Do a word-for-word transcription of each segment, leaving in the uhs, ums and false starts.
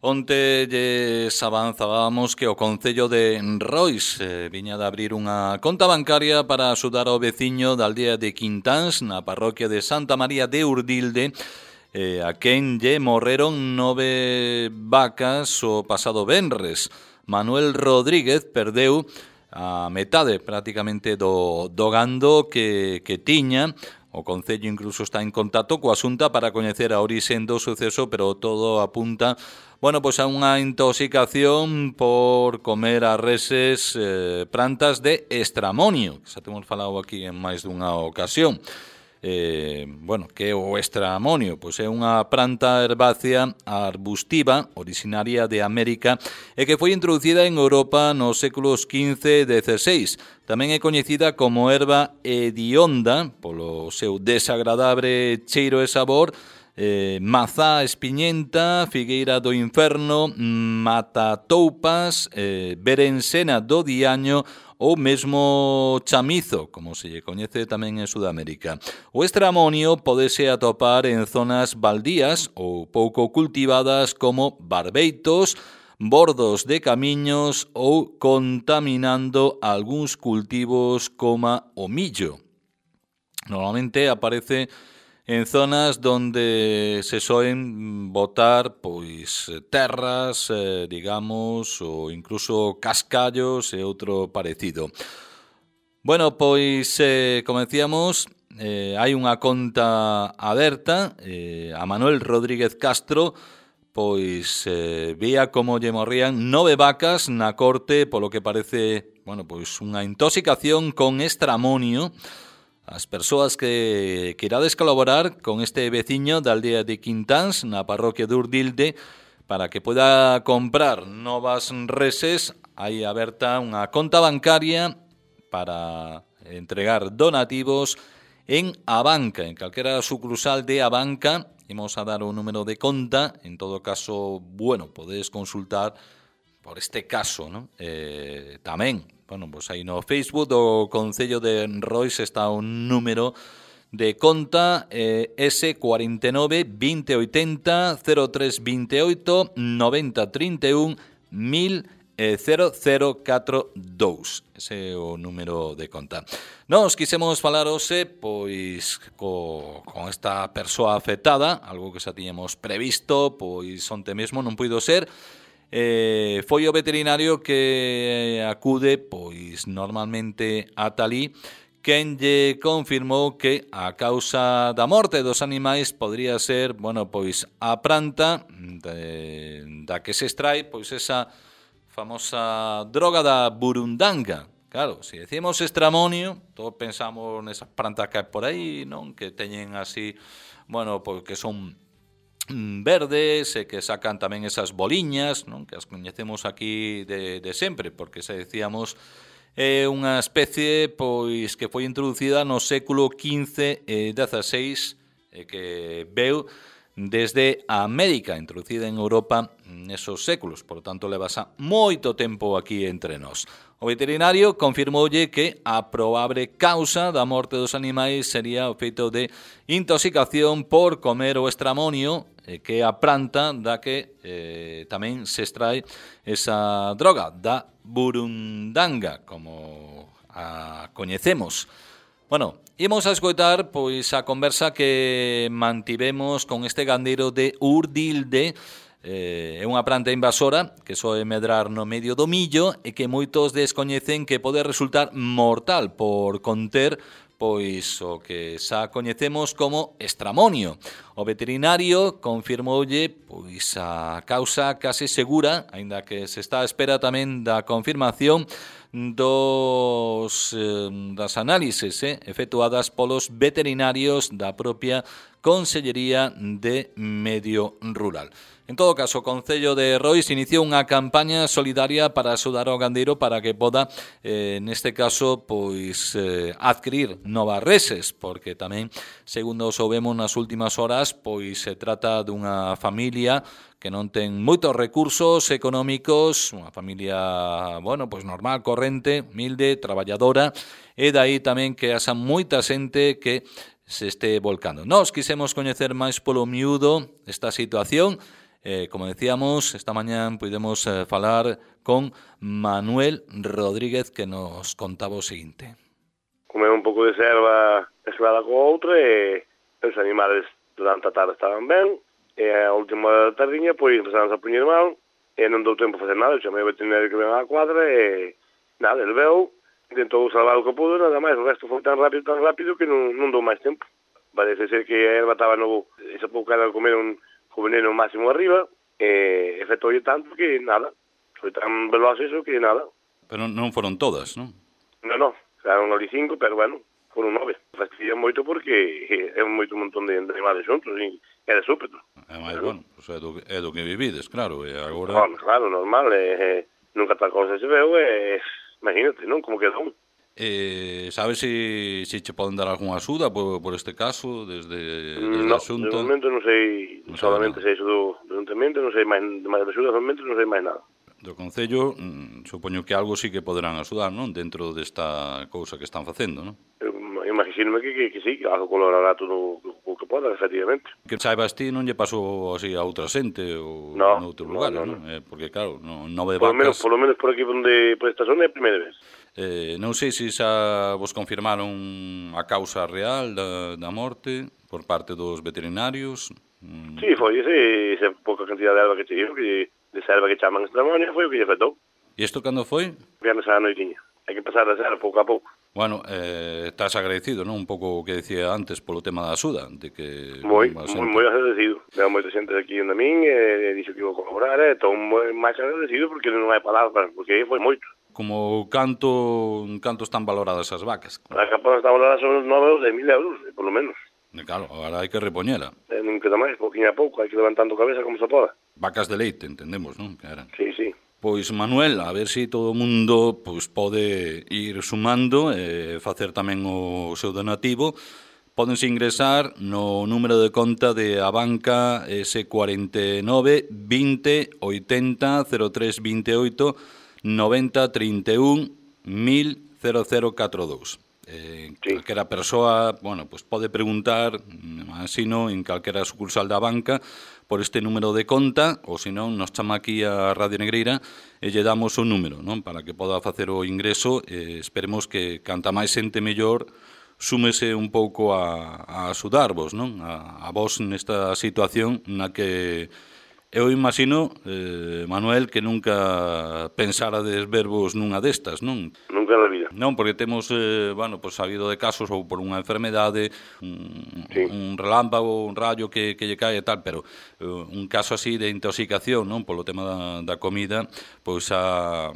Onte lles avanzábamos que o Concello de Rois eh, viña de abrir unha conta bancaria para axudar ao veciño da aldea de Quintáns na parroquia de Santa María de Urdilde, eh, a quen lle morreron nove vacas o pasado venres. Manuel Rodríguez perdeu a metade prácticamente do, do gando que, que tiña. O Concello incluso está en contacto coa Xunta para coñecer a orixen do suceso, pero todo apunta, bueno, pois a unha intoxicación por comer as reses eh, plantas de estramonio, que xa temos falado aquí en máis dunha ocasión. Eh, bueno, que é o estramonio? Pois é unha planta herbácea arbustiva originaria de América e que foi introducida en Europa nos séculos quince e dezasseis. Tamén é coñecida como erva hedionda polo seu desagradable cheiro e sabor, eh, mazá espiñenta, figueira do inferno, matatoupas, eh, berencena do diaño ou mesmo chamizo, como se lle coñece tamén en Sudamérica. O estramonio podese atopar en zonas baldías ou pouco cultivadas como barbeitos, bordos de camiños ou contaminando algúns cultivos como o millo. Normalmente aparece en zonas donde se soen botar pois terras, eh, digamos, ou incluso cascallos e outro parecido. Bueno, pois, eh, como decíamos, eh, hai unha conta aberta. Eh, a Manuel Rodríguez Castro pois eh, vía como lle morrían nove vacas na corte, polo que parece, bueno, pois unha intoxicación con estramonio. As persoas que queirades colaborar con este veciño da aldea de Quintáns na parroquia de Urdilde para que poida comprar novas reses, hai aberta unha conta bancaria para entregar donativos en Abanca, en calquera sucursal de Abanca. Imos a dar o número de conta, en todo caso, bueno, podedes consultar por este caso, ¿no? Eh, tamén, bueno, pues aí no Facebook do Concello de Rois está un número de conta, eh, S cuarenta y nueve, veinte ochenta, cero tres veintiocho, noventa treinta y uno, mil cero cero catro dous. Ese é o número de conta. Nos quisemos falar hoxe pois co, con esta persoa afectada, algo que xa tiñamos previsto, pois onte mesmo non puido ser. Eh, foi o veterinario que acude pois normalmente a talí, quen lle confirmou que a causa da morte dos animais podría ser, bueno, pois a planta de, da que se extrae pois esa famosa droga da burundanga. Claro, se decimos estramonio, todos pensamos nesas plantas que hai por aí, non? Que teñen así, bueno, pois que son verdes e que sacan tamén esas boliñas, non? Que as coñecemos aquí de, de sempre, porque se decíamos é eh, unha especie pois que foi introducida no século quince e dezasseis e que veu desde a América, introducida en Europa nesos séculos, por lo tanto levasa moito tempo aquí entre nós. O veterinario confirmoulle que a probable causa da morte dos animais sería o feito de intoxicación por comer o estramonio, eh, que é a planta da que eh, tamén se extrae esa droga, da burundanga, como a coñecemos. Bueno, imos a escoitar pois a conversa que mantivemos con este gandeiro de Urdilde. É unha planta invasora que soe medrar no medio do millo e que moitos descoñecen que pode resultar mortal por conter pois o que xa coñecemos como estramonio. O veterinario confirmoulle pois a causa case segura, aínda que se está a espera tamén da confirmación dos eh, das análises eh, efectuadas polos veterinarios da propia Consellería de Medio Rural. En todo caso, o Concello de Rois iniciou unha campaña solidaria para axudar ao gandeiro para que poda, eh, neste caso, pois eh, adquirir novas reses, porque tamén, segundo soubemos nas últimas horas, pois se trata dunha familia que non ten moitos recursos económicos, unha familia, bueno, pois normal, corrente, humilde, traballadora, e dai tamén que haxa moita xente que se este volcando. Nos quisemos coñecer máis polo miúdo esta situación, Eh, como decíamos, esta mañá pudemos eh, falar con Manuel Rodríguez, que nos contaba o seguinte. Comer un pouco de serva mezclada co outra e os animales durante a tarde estaban ben, e a última tardiña pois empezaron a poñer mal e non dou tempo a facer nada. Eu chamei o veterinario que ven á cuadra e nada, ele veu, tentou salvar o que pudo, nada máis. O resto foi tan rápido, tan rápido que non, non dou máis tempo. Parece ser que a erva estaba no... Esa pouca era comer un co veneno máximo arriba e efectoulle tanto que nada. Foi tan veloz eso que nada. Pero non foron todas, non? Non, non. Eran ali cinco, pero bueno, foron nove. Fastidia moito porque é moito un montón de animales xuntos e é de súpeto. É máis, bueno, pues é, do, é do que vivides, claro, e agora... Bueno, claro, normal, e, e nunca tal cosa se veu, e imagínate, non? Como quedou. Eh, sabes se si, si che poden dar algunha axuda por, por este caso, desde, desde no, a Xunta? No, de momento non sei, non solamente sei iso do, do ayuntamiento, non sei máis, máis de axuda, solamente non sei máis nada. Do Concello, mm, supoño que algo sí que poderán axudar, non? Dentro desta cousa que están facendo, non? Eu imagínome que, que, que sí, que algo colaborará todo o que poda, efectivamente. Que saibas ti non lle pasou así a outra xente ou no, noutros no, lugares, no, non? no. Eh, porque claro, no, nove por vacas... Lo menos, por lo menos por aquí onde, por esta zona é a primeira vez. Eh, non sei se xa vos confirmaron a causa real da, da morte por parte dos veterinarios. Mm. Sí, foi ese, esa pouca cantidad de erva que te digo, que de selva que chaman extramonia, foi o que lle afectou. E isto cando foi? Viernes a noitiña. Hai que empezar a ser pouco a pouco. Bueno, eh, estás agradecido, non? Un pouco o que decía antes polo tema da axuda, de que... Moi, moi, moi agradecido. Veo moita xente aquí en min, e dixo que iba a colaborar, e estou moi máis agradecido porque non hai palabras, porque foi moito. Como canto, canto están valoradas as vacas? A capa está valorada sobre os nove ou dez mil euros, por lo menos. E claro, agora hai que repoñela. E non queda máis, pouquinho a pouco, hai que levantando cabeza como se poda. Vacas de leite, entendemos, non? Que eran. Sí, sí. Pois, Manuel, a ver se si todo o mundo pois, pode ir sumando e facer tamén o seu donativo. Pódense ingresar no número de conta de a banca ese cuarenta e nove, vinte, oitenta, cero tres veintioito, noventa, treinta e un, mil, cero cero catro dous. Eh, sí. Calquera persoa, bueno, pues pode preguntar, así no, en calquera sucursal da banca, por este número de conta, ou senón nos chama aquí a Radio Negreira e lle damos o número, non? Para que poda facer o ingreso. Eh, esperemos que canta máis xente mellor súmese un pouco a, a axudarvos, non? A, a vos nesta situación na que eu imagino, eh, Manuel, que nunca pensarades vervos nunha destas, non? Nunca na vida. Non, porque temos, eh, bueno, pues, sabido de casos ou por unha enfermedade, un, sí. un relámpago, un rayo que, que lle cae e tal, pero eh, un caso así de intoxicación, non, polo tema da, da comida, pois a,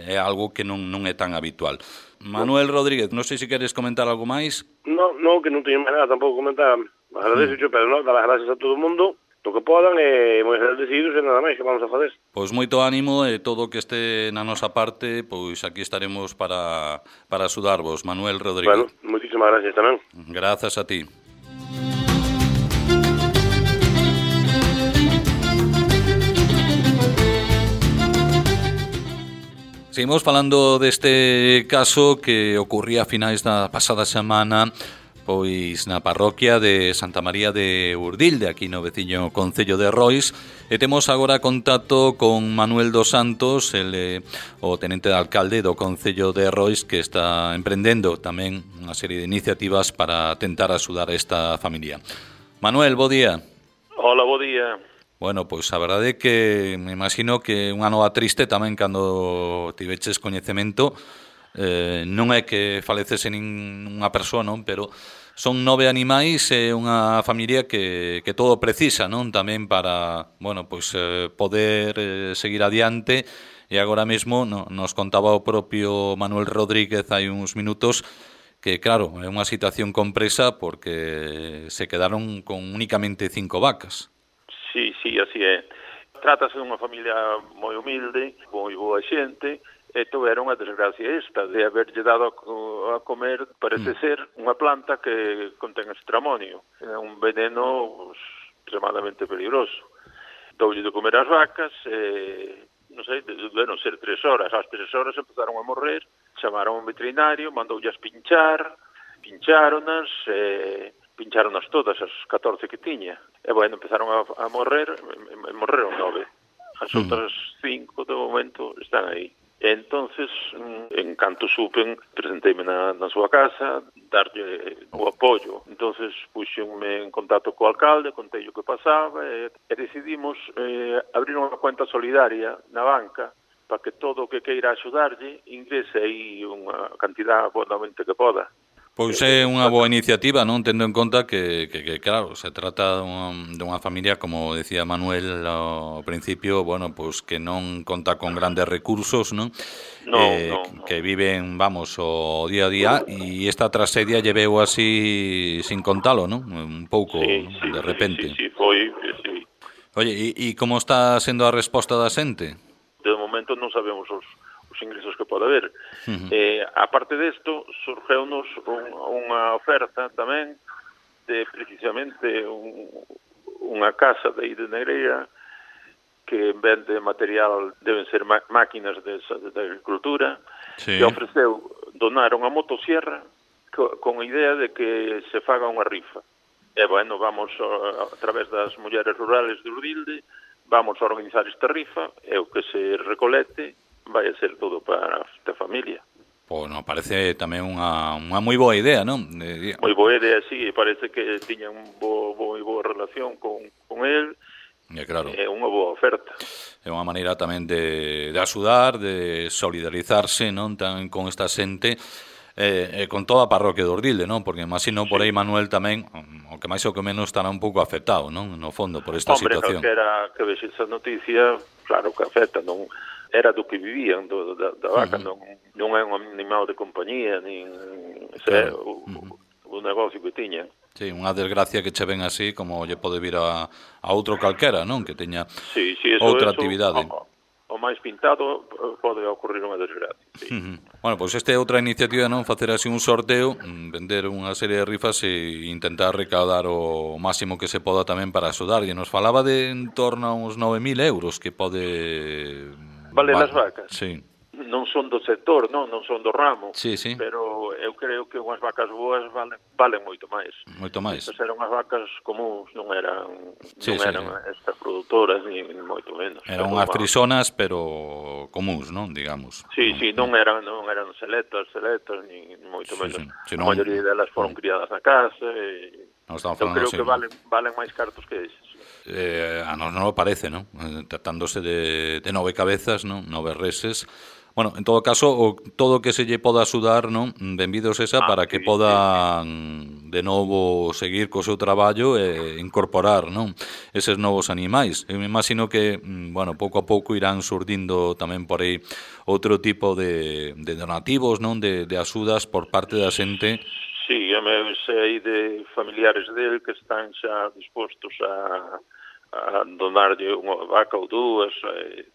é algo que non, non é tan habitual. Manuel Rodríguez, non sei se queres comentar algo máis. No, no, que non teño máis nada tampouco comentar. Agradeço, mm. pero non, dar as gracias a todo o mundo, o que podan, e moi agradecidos e nada máis que vamos a fazer. Pois moito ánimo e todo o que este na nosa parte, pois aquí estaremos para, para axudarvos, Manuel Rodríguez. Bueno, moitísimas gracias tamén. Grazas a ti. Seguimos falando deste caso que ocurría a finais da pasada semana pois na parroquia de Santa María de Urdilde, aquí no veciño concello de Rois, e temos agora contacto con Manuel dos Santos, ele, o tenente de alcalde do concello de Rois, que está emprendendo tamén unha serie de iniciativas para tentar axudar a esta familia. Manuel, bo día. Hola, bo día. Bueno, pois a verdade é que me imagino que unha nova triste tamén cando tiveches coñecemento. Eh, non é que falecese ninguna persoa, non? Pero son nove animais e unha familia que, que todo precisa, non? Tamén para, bueno, pois eh, poder eh, seguir adiante. E agora mesmo no, nos contaba o propio Manuel Rodríguez hai uns minutos que, claro, é unha situación compresa porque se quedaron con únicamente cinco vacas. Sí, sí, así é. Trátase dunha familia moi humilde, moi boa xente, e tuveron a desgracia esta de haberlle dado a comer, parece mm. ser, unha planta que contén estramonio. É un veneno pues, extremadamente peligroso. Doulle de comer as vacas, e, non sei, debieron ser tres horas. Ás tres horas empezaron a morrer, chamaron a un veterinario, mandoullas pinchar, pincháronas, e... pincháronas todas, as catorce que tiña. e, bueno, empezaron a, a morrer, e, e morreron nove. As mm. outras cinco, de momento, están aí. E entonces, en canto supen, presenteime na, na súa casa, darlle o apoio. Entonces, puxenme en contacto co alcalde, contei o que pasaba, e, e decidimos eh, abrir unha cuenta solidaria na banca para que todo o que queira axudarlle ingrese aí unha cantidad bonamente que poda. Pois é unha boa iniciativa, non, tendo en conta que, que, que claro, se trata de unha familia, como decía Manuel ao principio, bueno, pois que non conta con grandes recursos, non? No, eh, no, no. Que viven, vamos, o día a día, e esta tragedia lleveu así sin contalo, non? Un pouco, sí, ¿no? Sí, De repente. Sí, sí, foi, sí. Oye, e, e como está sendo a resposta da xente? De momento non sabemos os os ingresos que pode haber. Uh-huh. Eh, aparte desto, surgeunos un, unha oferta tamén de precisamente un, unha casa de aí de Negreira que vende material, deben ser máquinas de, de agricultura, sí. Que ofreceu donar unha motosierra co, con a idea de que se faga unha rifa. E, bueno, vamos a, a través das mulleres rurales de Urdilde, vamos a organizar esta rifa, e o que se recolete vai a ser todo para a familia. Pois non, parece tamén unha, unha moi boa idea, non? De... Moi boa idea, sí, parece que tiña un bo, moi boa relación con, con el, é claro. É unha boa oferta. É unha maneira tamén de, de axudar, de solidarizarse, non, tamén con esta xente, eh, eh, con toda a parroquia de Urdilde, non? Porque imagino por aí Manuel tamén, o que máis ou que menos estará un pouco afectado, non? No fondo, por esta Hombre, situación. Hombre, calquera que vexe esa noticia, claro que afecta, non era do que vivían, do, da, da vaca, uh-huh. non, non é un animal de compañía, nin claro. é o, uh-huh. o negocio que tiña. Sí, unha desgracia que che ven así, como lle pode vir a, a outro calquera, non? Que teña sí, sí, eso, outra eso, actividade. O, o máis pintado pode ocurrir unha desgracia. Sí. Uh-huh. Bueno, pois pues esta é outra iniciativa, non? Facer así un sorteo, vender unha serie de rifas e intentar recaudar o máximo que se poda tamén para axudar. E nos falaba de en torno a uns nove mil euros que pode... Vale, vale. Las vacas? Sí. Non son do sector, non, non son do ramo, sí, sí. Pero eu creo que unhas vacas boas valen, valen moito máis. Moito máis. Estas eran unhas vacas comuns, non eran, sí, non sí, eran sí. estas produtoras, ni moito menos. Eran unhas frisonas, pero comuns, non, digamos. Sí, sí, non eran, non eran seletas, seletas, ni moito sí, menos. Sí. A non... maioría delas foron criadas na casa, e... No, eu creo que valen, valen máis cartos que eses. Eh, a nos non o parece, non? Tratándose de, de nove cabezas, non? Nove reses. Bueno, en todo caso, o, todo o que se lle poda axudar, non? Benvidos esa ah, para sí, que podan sí. de novo seguir co seu traballo e incorporar, non? Eses novos animais. Eu me imagino que, bueno, pouco a pouco irán surdindo tamén por aí outro tipo de, de donativos, non? De, de axudas por parte da xente. Sí, eu me sei de familiares del que están xa dispostos a, a donarlle unha vaca ou dúas, e,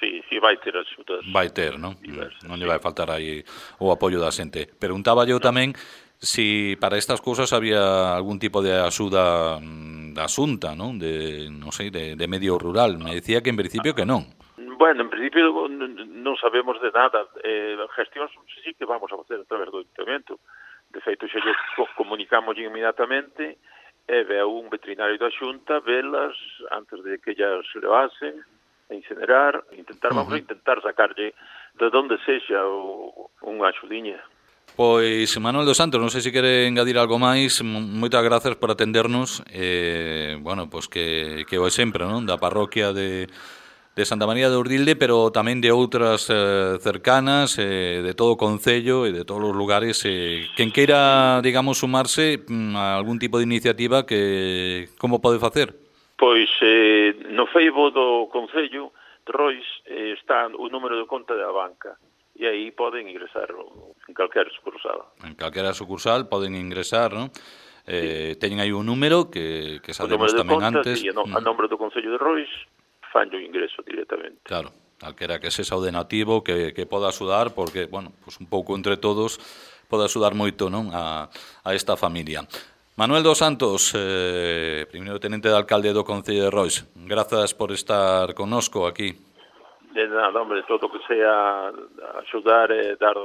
sí, sí, vai ter axudas. Vai ter, non? Diversas, non lle vai faltar aí o apoio da xente. Preguntaba eu tamén si para estas cousas había algún tipo de axuda da Xunta, non? De, non sei, de, de medio rural. Me decía que en principio que non. Bueno, en principio non sabemos de nada. Eh, gestións sí que vamos a facer a través do Ayuntamiento. De feito, xa lle comunicamos inmediatamente e veu un veterinario da Xunta velas antes de que ellas se levasen a incinerar, intentar, vamos uh-huh. a intentar sacarlle de donde sexa o, unha axudiña. Pois, Manuel dos Santos, non sei se quere engadir algo máis. Moitas grazas por atendernos. Eh, bueno, pois que, que o exemplo, non? Da parroquia de... de Santa María de Urdilde, pero tamén de outras eh, cercanas, eh, de todo o concello e de todos os lugares. Eh, quen queira, digamos, sumarse a algún tipo de iniciativa, que como pode facer? Pois eh, no Facebook do concello de Rois eh, está o número de conta da banca e aí poden ingresar en calquera sucursal. En calquera sucursal poden ingresar, non? Eh, sí. Teñen aí un número que, que sabemos tamén conta, antes. Sí, no, a nombre do concello de Rois fan o ingreso directamente. Claro, calquera que sexa o donativo que, que poda axudar, porque, bueno, pues un pouco entre todos pode axudar moito, non, a, a esta familia. Manuel dos Santos, eh, primeiro tenente de alcalde do Concello de Rois, grazas por estar connosco aquí. De nada, hombre, todo o que sea axudar e dar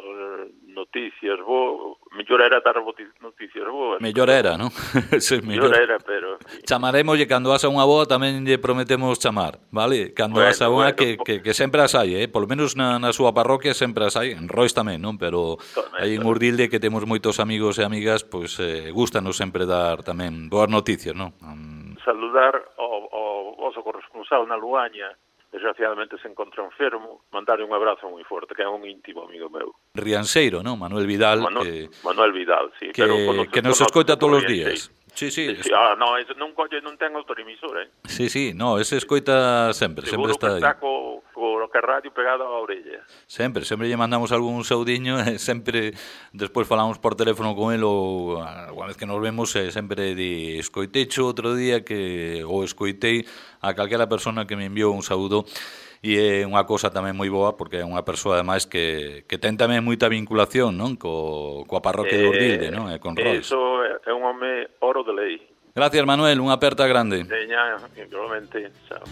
noticias boas, mellor era dar noticias boas. Mellor era, non? Sí, mellor era, pero... Chamaremoslle cando vas a unha boa, tamén lle prometemos chamar, vale? Cando bueno, vas a unha bueno, que, que, que sempre as hai, eh? Polo menos na, na súa parroquia sempre as hai, en Rois tamén, non? Pero aí en Urdilde, que temos moitos amigos e amigas, pois eh, gustanos sempre dar tamén boas noticias, non? Um... Saludar ao, ao vosso corresponsal na Luaña, desgraciadamente se encontra enfermo, mandarle un abrazo moi forte, que é un íntimo amigo meu. Rianseiro, non? Manuel Vidal. Manuel, que, Manuel Vidal, sí. Que, pero que nos escoita todos os días. Sí, sí. sí, sí. Ah, no, ese non, colle, non ten autoemisor, eh? Sí, sí, no, ese escoita sempre, sempre Seguro está aí. Seguro que está co, co que radio pegado á orella. Sempre, sempre lle mandamos algún saudiño e sempre despois falamos por teléfono con el ou a vez que nos vemos e sempre di escoitecho outro día que ou escoitei a calquera persona que me enviou un saúdo. E é unha cousa tamén moi boa porque é unha persoa ademais que, que ten tamén moita vinculación, non? Co, coa parroquia eh, de Urdilde, non? E con Rois. Eso é un home oro de lei. Gracias, Manuel, unha aperta grande. Veña, igualmente, chao.